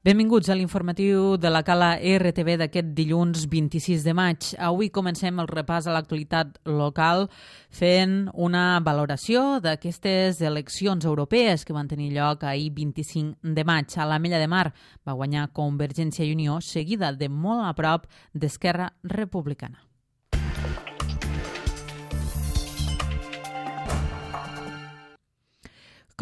Benvinguts a l'informatiu de la Cala RTV d'aquest dilluns 26 de maig. Avui comencem el repàs a l'actualitat local fent una valoració d'aquestes eleccions europees que van tenir lloc ahir 25 de maig. A l'Ametlla de Mar va guanyar Convergència i Unió, seguida de molt a prop d'Esquerra Republicana.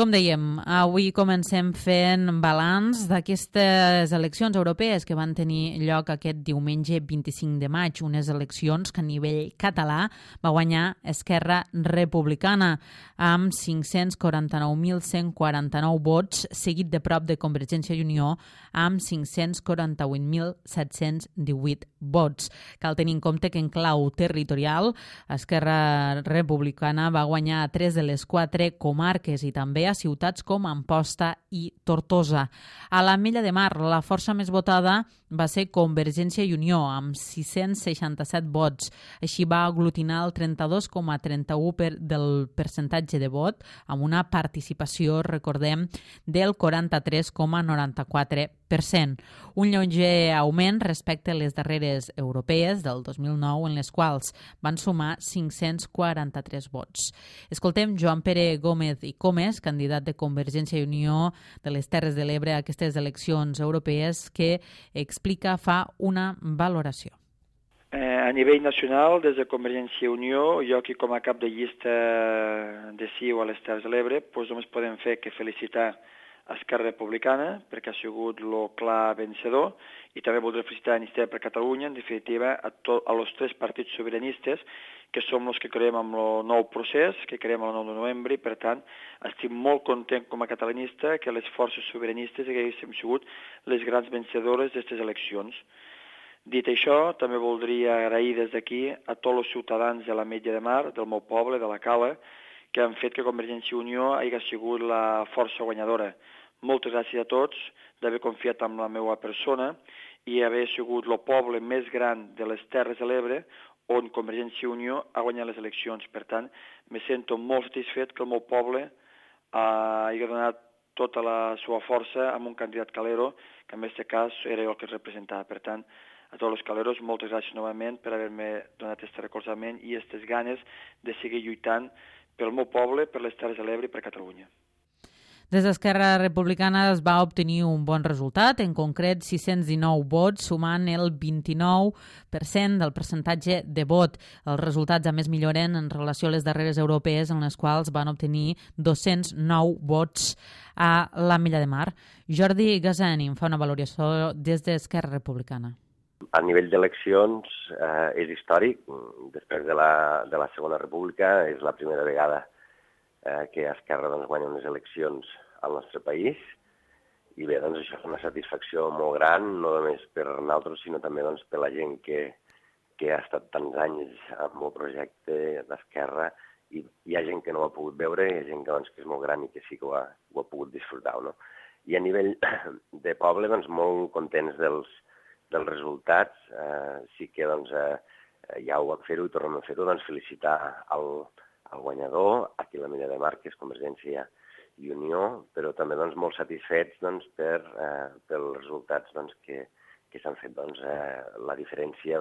Com dèiem, avui comencem fent balanç d'aquestes eleccions europees que van tenir lloc aquest diumenge 25 de maig, unes eleccions que a nivell català va guanyar Esquerra Republicana amb 549.149 vots, seguit de prop de Convergència i Unió amb 548.718 vots. Cal tenir en compte que en clau territorial Esquerra Republicana va guanyar a 3 de les 4 comarques i també a ciutats com Amposta i Tortosa. A l'Ametlla de Mar, la força més votada va ser Convergència i Unió, amb 667 vots. Així va aglutinar el 32,31% del percentatge de vot, amb una participació, recordem, del 43,94%. Un lleuger augment respecte a les darreres europees del 2009, en les quals van sumar 543 vots. Escoltem Joan Pere Gómez i Comes, candidat de Convergència i Unió de les Terres de l'Ebre a aquestes eleccions europees, que fa una valoració. A nivell nacional, des de Convergència i Unió, jo aquí com a cap de llista de CiU a les Terres de l'Ebre, només podem fer que felicitar Esquerra Republicana, perquè ha sigut el clar vencedor, i també voldré felicitar Iniciativa per Catalunya, en definitiva, a els tres partits sobiranistes, que som els que creiem en el nou procés, que creiem el 9 de novembre, i per tant estic molt content com a catalanista que les forces sobiranistes haguéssim sigut les grans vencedores d'aquestes eleccions. Dit això, també voldria agrair des d'aquí a tots els ciutadans de l'Ametlla de Mar, del meu poble, de la Cala, que han fet que Convergència i Unió hagi sigut la força guanyadora. Moltes gràcies a tots d'haver confiat en la meva persona i haver sigut el poble més gran de les Terres de l'Ebre on Convergència i Unió ha guanyat les eleccions. Per tant, me sento molt satisfet que el meu poble hagi donat tota la seva força amb un candidat calero, que en aquest cas era el que es representava. Per tant, a tots els caleros, moltes gràcies novament per haver-me donat aquest recolzament i aquestes ganes de seguir lluitant pel meu poble, per les Terres de l'Ebre i per Catalunya. Des d'Esquerra Republicana es va obtenir un bon resultat, en concret 619 vots, sumant el 29% del percentatge de vot. Els resultats, a més, milloren en relació a les darreres europees, en les quals van obtenir 209 vots a l'Ametlla de Mar. Jordi Gasani en fa una valoració des d'Esquerra Republicana. A nivell d'eleccions és històric. Després de la Segona República és la primera vegada que Esquerra guanya unes eleccions al nostre país i bé, això és una satisfacció molt gran, no només per nosaltres, sinó també per la gent que ha estat tants anys amb el projecte d'Esquerra i hi ha gent que no ho ha pogut veure, hi ha gent que és molt gran i que sí que ho ha pogut disfrutar. No? I a nivell de poble, molt contents dels resultats, sí que ja ho vam fer-ho i tornem a fer-ho, felicitar el guanyador, aquí a l'Ametlla de Mar, que és Convergència i Unió, però també molt satisfets pels resultats que s'han fet. La diferència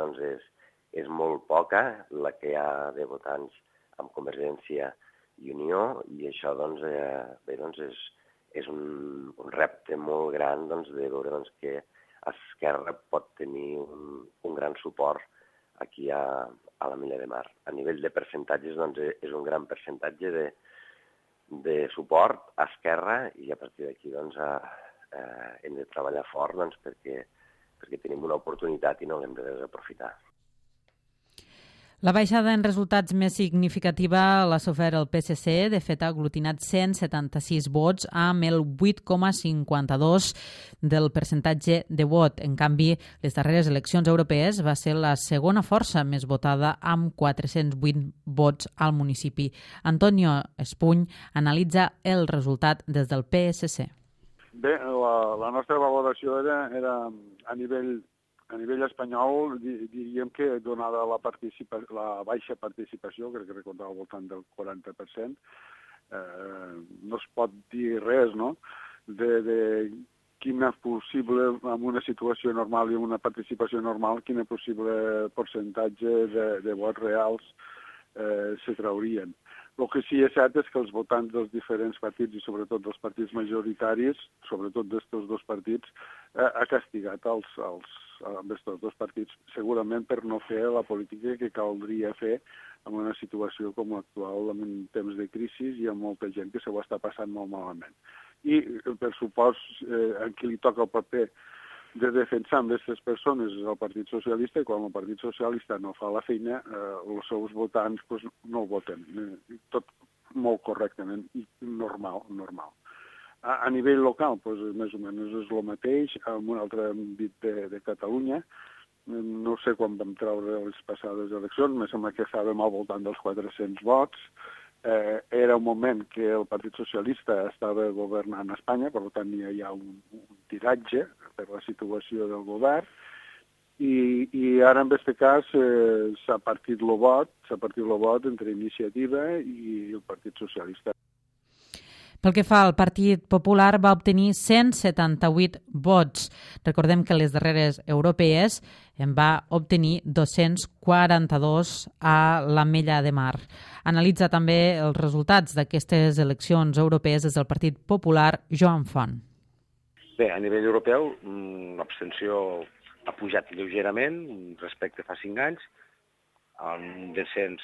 és molt poca, la que hi ha de votants amb Convergència i Unió, i això és un repte molt gran de veure que Esquerra pot tenir un gran suport aquí a l'Ametlla de Mar. A nivell de percentatges és un gran percentatge de suport a Esquerra i a partir d'aquí hem de treballar fort perquè tenim una oportunitat i no l'hem de desaprofitar. La baixada en resultats més significativa l'ha sofert el PSC, de fet ha aglutinat 176 vots amb el 8,52% del percentatge de vot. En canvi, les darreres eleccions europees va ser la segona força més votada amb 408 vots al municipi. Antonio Espuny analitza el resultat des del PSC. Bé, la nostra valoració era a nivell espanyol, diríem que donada la baixa participació, crec que recordava al voltant del 40%, no es pot dir res, no?, quina possible, en una situació normal i en una participació normal, quina possible percentatge de vots reals se traurien. El que sí és cert és que els votants dels diferents partits i sobretot dels partits majoritaris, sobretot d'estos dos partits, ha castigat amb estos dos partits, segurament per no fer la política que caldria fer en una situació com l'actual, en temps de crisi, i amb molta gent que se ho està passant molt malament. I, per supost, en qui li toca el paper de defensar amb aquestes persones és el Partit Socialista, i quan el Partit Socialista no fa la feina, els seus votants no el voten. Tot molt correctament i normal. A nivell local, més o menys és el mateix, en un altre àmbit de Catalunya. No sé quan vam treure les passades eleccions, me sembla que estàvem al voltant dels 400 vots. Era un moment que el Partit Socialista estava governant a Espanya, per tant hi ha un tiratge per la situació del govern, i ara en aquest cas s'ha partit el vot entre Iniciativa i el Partit Socialista. Pel que fa al Partit Popular, va obtenir 178 vots. Recordem que les darreres europees en va obtenir 242 a l'Ametlla de Mar. Analitza també els resultats d'aquestes eleccions europees des del Partit Popular, Joan Font. Bé, a nivell europeu, l'abstenció ha pujat lleugerament respecte a fa 5 anys, un descens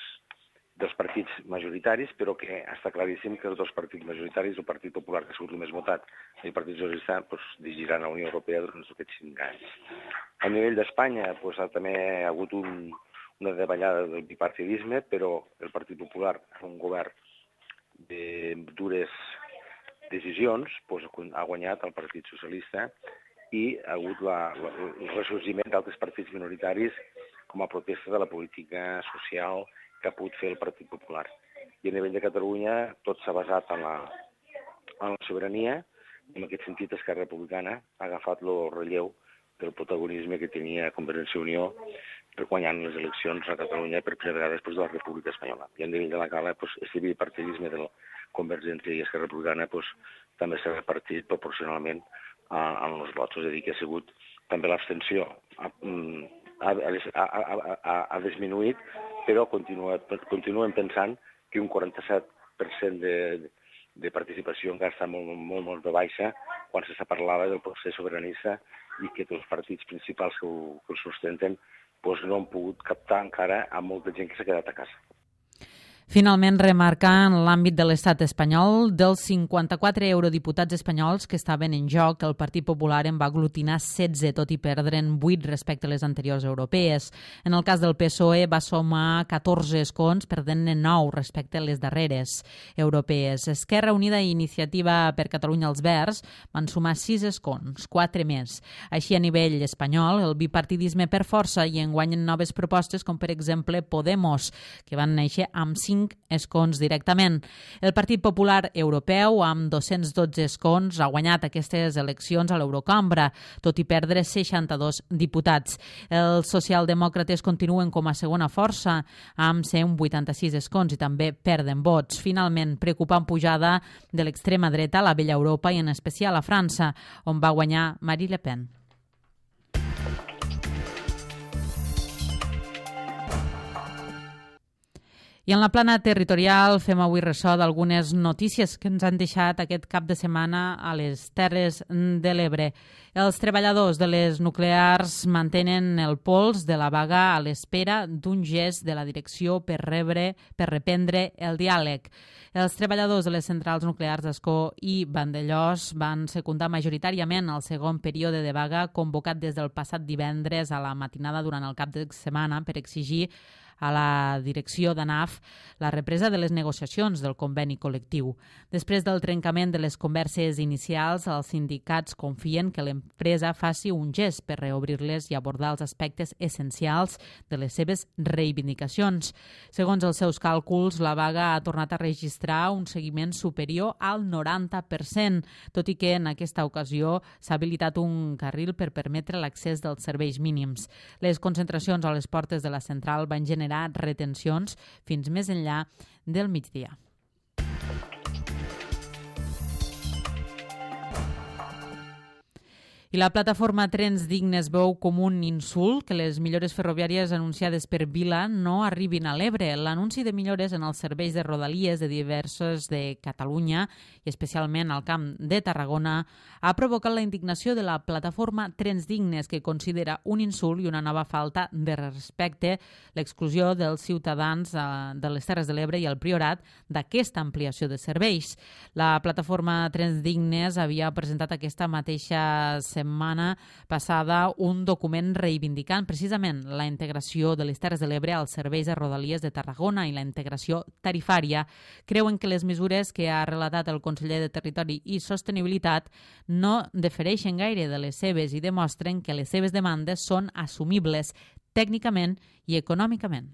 dels partits majoritaris, però que està claríssim que els dos partits majoritaris, el Partit Popular, que ha sigut el més votat, i el Partit Socialista, dirigiran a la Unió Europea durant aquests 5 anys. A nivell d'Espanya, també ha hagut una davallada del bipartidisme, però el Partit Popular, un govern de dures decisions, ha guanyat el Partit Socialista i ha hagut el ressorgiment d'altres partits minoritaris com a protesta de la política social que ha pogut fer el Partit Popular. I a nivell de Catalunya tot s'ha basat en la sobirania, i en aquest sentit Esquerra Republicana ha agafat el relleu del protagonisme que tenia Convergència i Unió guanyant les eleccions a Catalunya per primera vegada després de la República Espanyola. I a nivell de la cala, aquest bipartidisme de la Convergència i Esquerra Republicana també s'ha repartit proporcionalment en els vots. És a dir, que ha sigut també l'abstenció ha disminuït, però continuem pensant que un 47% de participació encara està molt de baixa quan se parlava del procés sobiranista i que els partits principals que el sustenten no han pogut captar encara a molta gent que s'ha quedat a casa. Finalment, remarcar en l'àmbit de l'estat espanyol, dels 54 eurodiputats espanyols que estaven en joc, el Partit Popular en va aglutinar 16, tot i perdre'n 8 respecte a les anteriors europees. En el cas del PSOE va sumar 14 escons, perdent-ne 9 respecte a les darreres europees. Esquerra Unida i Iniciativa per Catalunya als Verds van sumar 6 escons, 4 més. Així, a nivell espanyol, el bipartidisme per força i enguanyen noves propostes com, per exemple, Podemos, que van néixer amb 5 escons directament. El Partit Popular Europeu, amb 212 escons, ha guanyat aquestes eleccions a l'Eurocambra, tot i perdre 62 diputats. Els socialdemòcrates continuen com a segona força, amb 186 escons i també perden vots. Finalment, preocupant pujada de l'extrema dreta a la vella Europa i en especial a França, on va guanyar Marine Le Pen. I en la plana territorial fem avui ressò d'algunes notícies que ens han deixat aquest cap de setmana a les Terres de l'Ebre. Els treballadors de les nuclears mantenen el pols de la vaga a l'espera d'un gest de la direcció per reprendre el diàleg. Els treballadors de les centrals nuclears d'Ascó i Vandellòs van secundar majoritàriament el segon període de vaga convocat des del passat divendres a la matinada durant el cap de setmana per exigir a la direcció d'ANAF la represa de les negociacions del conveni col·lectiu. Després del trencament de les converses inicials, els sindicats confien que l'empresa faci un gest per reobrir-les i abordar els aspectes essencials de les seves reivindicacions. Segons els seus càlculs, la vaga ha tornat a registrar un seguiment superior al 90%, tot i que en aquesta ocasió s'ha habilitat un carril per permetre l'accés dels serveis mínims. Les concentracions a les portes de la central van generar retencions fins més enllà del migdia. I la plataforma Trens Dignes veu com un insult que les millores ferroviàries anunciades per Vila no arribin a l'Ebre. L'anunci de millores en els serveis de rodalies de diversos de Catalunya i especialment al Camp de Tarragona ha provocat la indignació de la plataforma Trens Dignes, que considera un insult i una nova falta de respecte l'exclusió dels ciutadans de les Terres de l'Ebre i el Priorat d'aquesta ampliació de serveis. La plataforma Trens Dignes havia presentat aquesta mateixa setmana passada un document reivindicant precisament la integració de les Terres de l'Ebre als serveis de rodalies de Tarragona i la integració tarifària. Creuen que les mesures que ha relatat el conseller de Territori i Sostenibilitat no difereixen gaire de les seves i demostren que les seves demandes són assumibles tècnicament i econòmicament.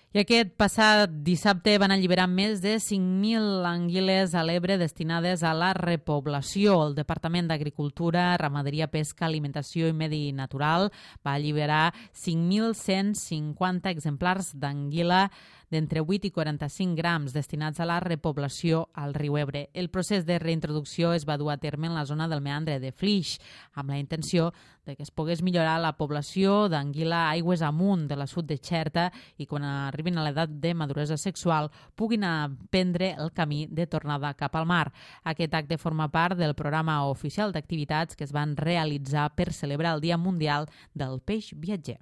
I aquest passat dissabte van alliberar més de 5.000 anguiles a l'Ebre destinades a la repoblació. El Departament d'Agricultura, Ramaderia, Pesca, Alimentació i Medi Natural va alliberar 5.150 exemplars d'anguila d'entre 8 i 45 grams destinats a la repoblació al riu Ebre. El procés de reintroducció es va dur a terme en la zona del meandre de Flix, amb la intenció de que es pogués millorar la població d'anguila aigües amunt de la sud de Xerta i quan arribin a l'edat de maduresa sexual puguin aprendre el camí de tornada cap al mar. Aquest acte forma part del programa oficial d'activitats que es van realitzar per celebrar el Dia Mundial del Peix Viatger.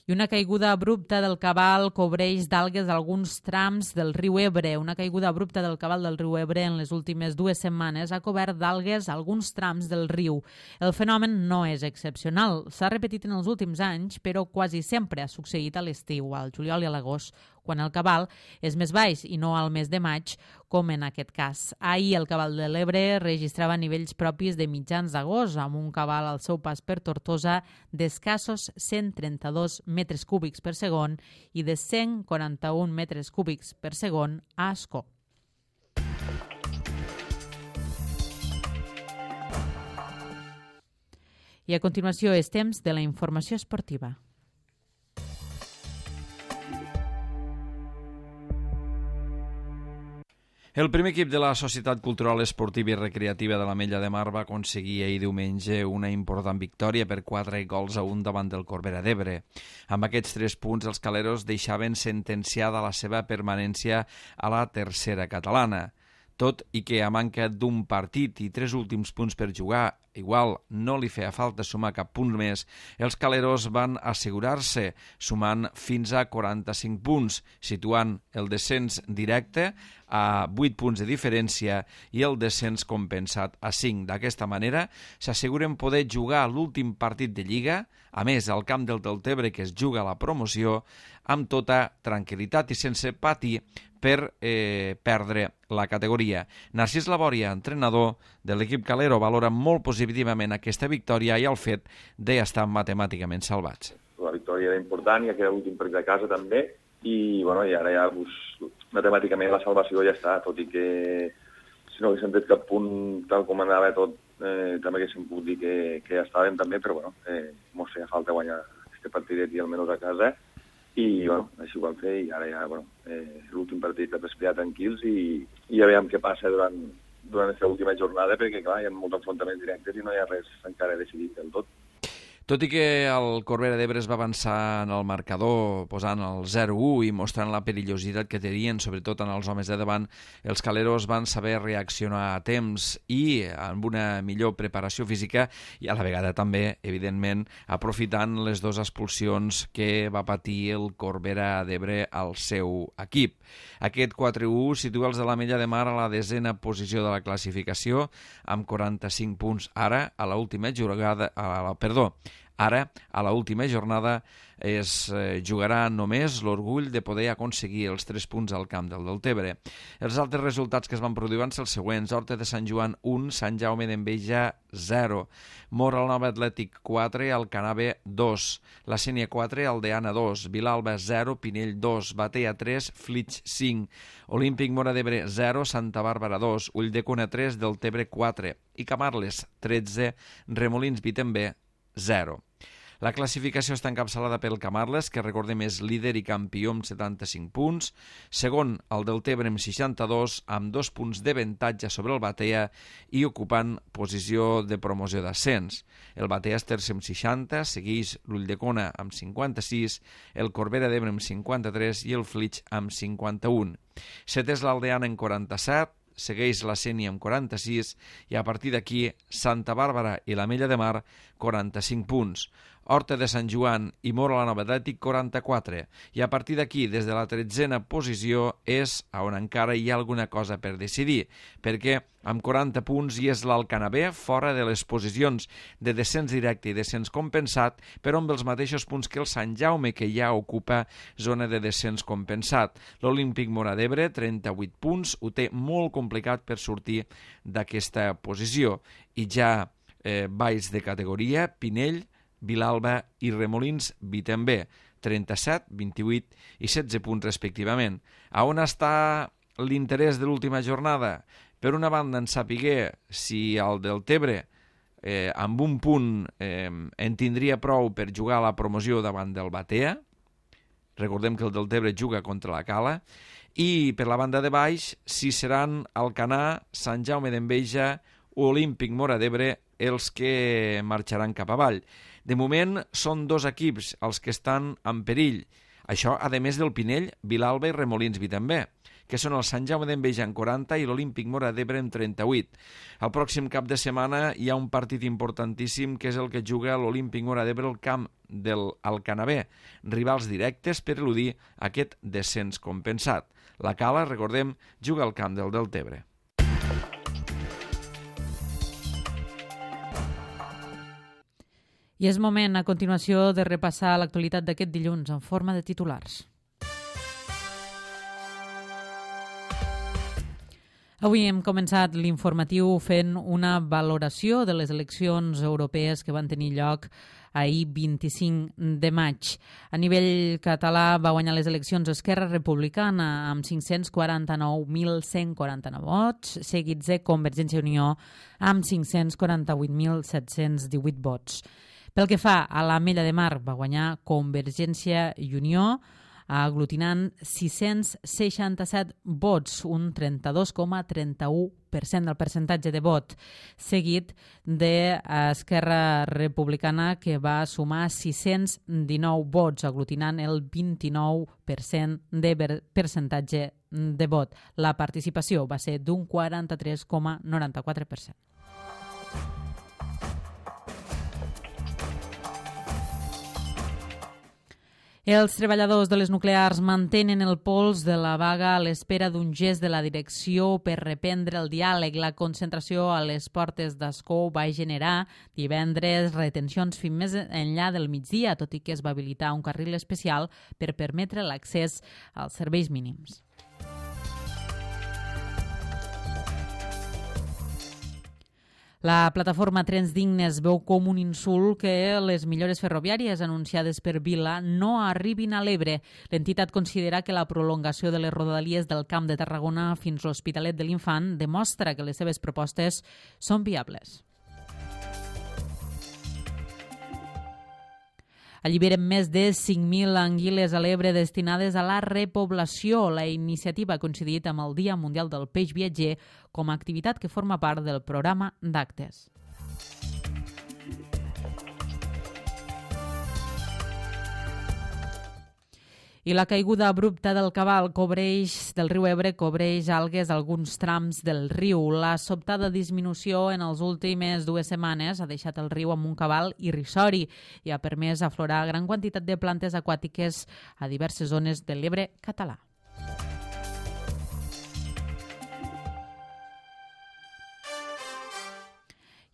I una caiguda abrupta del cabal cobreix d'algues alguns trams del riu Ebre. Una caiguda abrupta del cabal del riu Ebre en les últimes 2 setmanes ha cobert d'algues alguns trams del riu. El fenomen no és excepcional. S'ha repetit en els últims anys, però quasi sempre ha succeït a l'estiu, al juliol i a l'agost, quan el cabal és més baix i no al mes de maig, com en aquest cas. Ahir el cabal de l'Ebre registrava nivells propis de mitjans d'agost, amb un cabal al seu pas per Tortosa d'escassos 132 metres cúbics per segon i de 141 metres cúbics per segon a Ascó. I a continuació és temps de la informació esportiva. El primer equip de la Societat Cultural Esportiva i Recreativa de l'Ametlla de Mar va aconseguir ahir diumenge una important victòria per 4-1 davant del Corbera d'Ebre. Amb aquests 3 punts, els caleros deixaven sentenciada la seva permanència a la tercera catalana. Tot i que a manca d'un partit i 3 últims punts per jugar, igual no li feia falta sumar cap punt més, els caleros van assegurar-se, sumant fins a 45 punts, situant el descens directe a 8 punts de diferència i el descens compensat a 5. D'aquesta manera, s'asseguren poder jugar l'últim partit de Lliga, a més, al camp del Deltebre, que es juga la promoció, amb tota tranquil·litat i sense patir per perdre la categoria. Narcís Labòria, entrenador de l'equip calero, valora molt positivament aquesta victòria i el fet d'estar matemàticament salvats. La victòria era important i aquest últim partit de casa també i, bueno, i ara ja matemàticament la salvació ja està, tot i que si no haguéssim tret cap punt tal com anava tot, també haguéssim pogut dir que ja estàvem també, però bueno, mos feia falta guanyar aquest partidet i almenys a casa. I bueno, així ho vam fer i ara ja, bueno, l'últim partit per respirar tranquils i ja veiem què passa durant aquesta última jornada perquè, clar, hi ha molts enfrontaments directes i no hi ha res encara decidit del tot. Tot i que el Corbera d'Ebre es va avançar en el marcador posant el 0-1 i mostrant la perillositat que tenien, sobretot en els homes de davant, els caleros van saber reaccionar a temps i amb una millor preparació física i a la vegada també, evidentment, aprofitant les 2 expulsions que va patir el Corbera d'Ebre al seu equip. Aquest 4-1 situa els de l'Ametlla de Mar a la 10a posició de la classificació amb 45 punts. Ara, a l'última jornada es jugarà només l'orgull de poder aconseguir els 3 punts al camp del Deltebre. Els altres resultats que es van produir van ser els següents: Horta de Sant Joan 1, Sant Jaume d'Enveja 0, Móra Nova Atlètic 4, Alcanave 2, La Sénia 4, Aldeana 2, Vilalba 0, Pinell 2, Batea 3, Flix 5, Olímpic Móra d'Ebre 0, Santa Bàrbara 2, Ulldecona 3, Deltebre 4 i Camarles 13, Remolins Vitember 0. La classificació està encapçalada pel Camarles, que recordem és líder i campió amb 75 punts. Segon, el Deltebre amb 62, amb 2 punts d'avantatge sobre el Batea i ocupant posició de promoció d'ascens. El Batea és tercer amb 60, segueix l'Ulldecona amb 56, el Corbera d'Ebre amb 53 i el Flix amb 51. Setè és l'Aldeana amb 47, segueix la Sénia amb 46 i a partir d'aquí Santa Bàrbara i l'Ametlla de Mar 45 punts. Horta de Sant Joan i Mora la Nova Atlètic 44 i a partir d'aquí des de la 13a posició és on encara hi ha alguna cosa per decidir, perquè amb 40 punts hi és l'Alcanabé fora de les posicions de descens directe i descens compensat, però amb els mateixos punts que el Sant Jaume, que ja ocupa zona de descens compensat. L'Olímpic Móra d'Ebre, 38 punts, ho té molt complicat per sortir d'aquesta posició. I ja baix de categoria, Pinell, Vilalba i Remolins Vitembé, 37, 28 i 16 punts respectivament. A on està l'interès de l'última jornada? Per una banda, en sapiguer si el Deltebre amb un punt en tindria prou per jugar a la promoció davant del Batea. Recordem que el Deltebre juga contra la Cala. I per la banda de baix, si seran Alcanar, Sant Jaume d'Enveja o Olímpic Móra d'Ebre els que marxaran cap avall. De moment són 2 equips els que estan en perill. Això, a més del Pinell, Vilalba i Remolins Vitembé, que són el Sant Jaume d'Enveja en 40 i l'Olímpic Móra d'Ebre en 38. El pròxim cap de setmana hi ha un partit importantíssim que és el que juga l'Olímpic Móra d'Ebre al camp del Alcanabé, rivals directes per eludir aquest descens compensat. La Cala, recordem, juga al camp del Deltebre. I és moment, a continuació, de repassar l'actualitat d'aquest dilluns en forma de titulars. Avui hem començat l'informatiu fent una valoració de les eleccions europees que van tenir lloc ahir 25 de maig. A nivell català va guanyar les eleccions Esquerra Republicana amb 549.149 vots, seguits de Convergència i Unió amb 548.718 vots. Pel que fa a l'Ametlla de Mar, va guanyar Convergència i Unió, aglutinant 667 vots, un 32,31% del percentatge de vot, seguit d'Esquerra Republicana, que va sumar 619 vots, aglutinant el 29% de percentatge de vot. La participació va ser d'un 43,94%. Els treballadors de les nuclears mantenen el pols de la vaga a l'espera d'un gest de la direcció per reprendre el diàleg. La concentració a les portes d'Ascó va generar divendres retencions fins més enllà del migdia, tot i que es va habilitar un carril especial per permetre l'accés als serveis mínims. La plataforma Trens Dignes veu com un insult que les millores ferroviàries anunciades per Vila no arribin a l'Ebre. L'entitat considera que la prolongació de les rodalies del Camp de Tarragona fins a l'Hospitalet de l'Infant demostra que les seves propostes són viables. Alliberen més de 5.000 anguiles a l'Ebre destinades a la repoblació. La iniciativa ha coincidit amb el Dia Mundial del Peix Viatger com a activitat que forma part del programa d'actes. I la caiguda abrupta del cabal del riu Ebre cobreix algues a alguns trams del riu. La sobtada disminució en les últimes 2 setmanes ha deixat el riu amb un cabal irrisori i ha permès aflorar gran quantitat de plantes aquàtiques a diverses zones de l'Ebre català.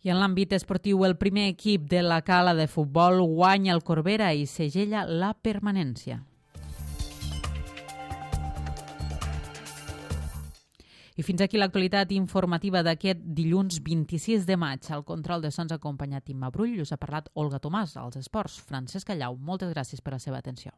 I en l'àmbit esportiu, el primer equip de la Cala de futbol guanya el Corbera i segella la permanència. I fins aquí l'actualitat informativa d'aquest dilluns 26 de maig. Al control de sons ha acompanyat Imma Brull i us ha parlat Olga Tomàs. Als esports, Francesc Callau. Moltes gràcies per la seva atenció.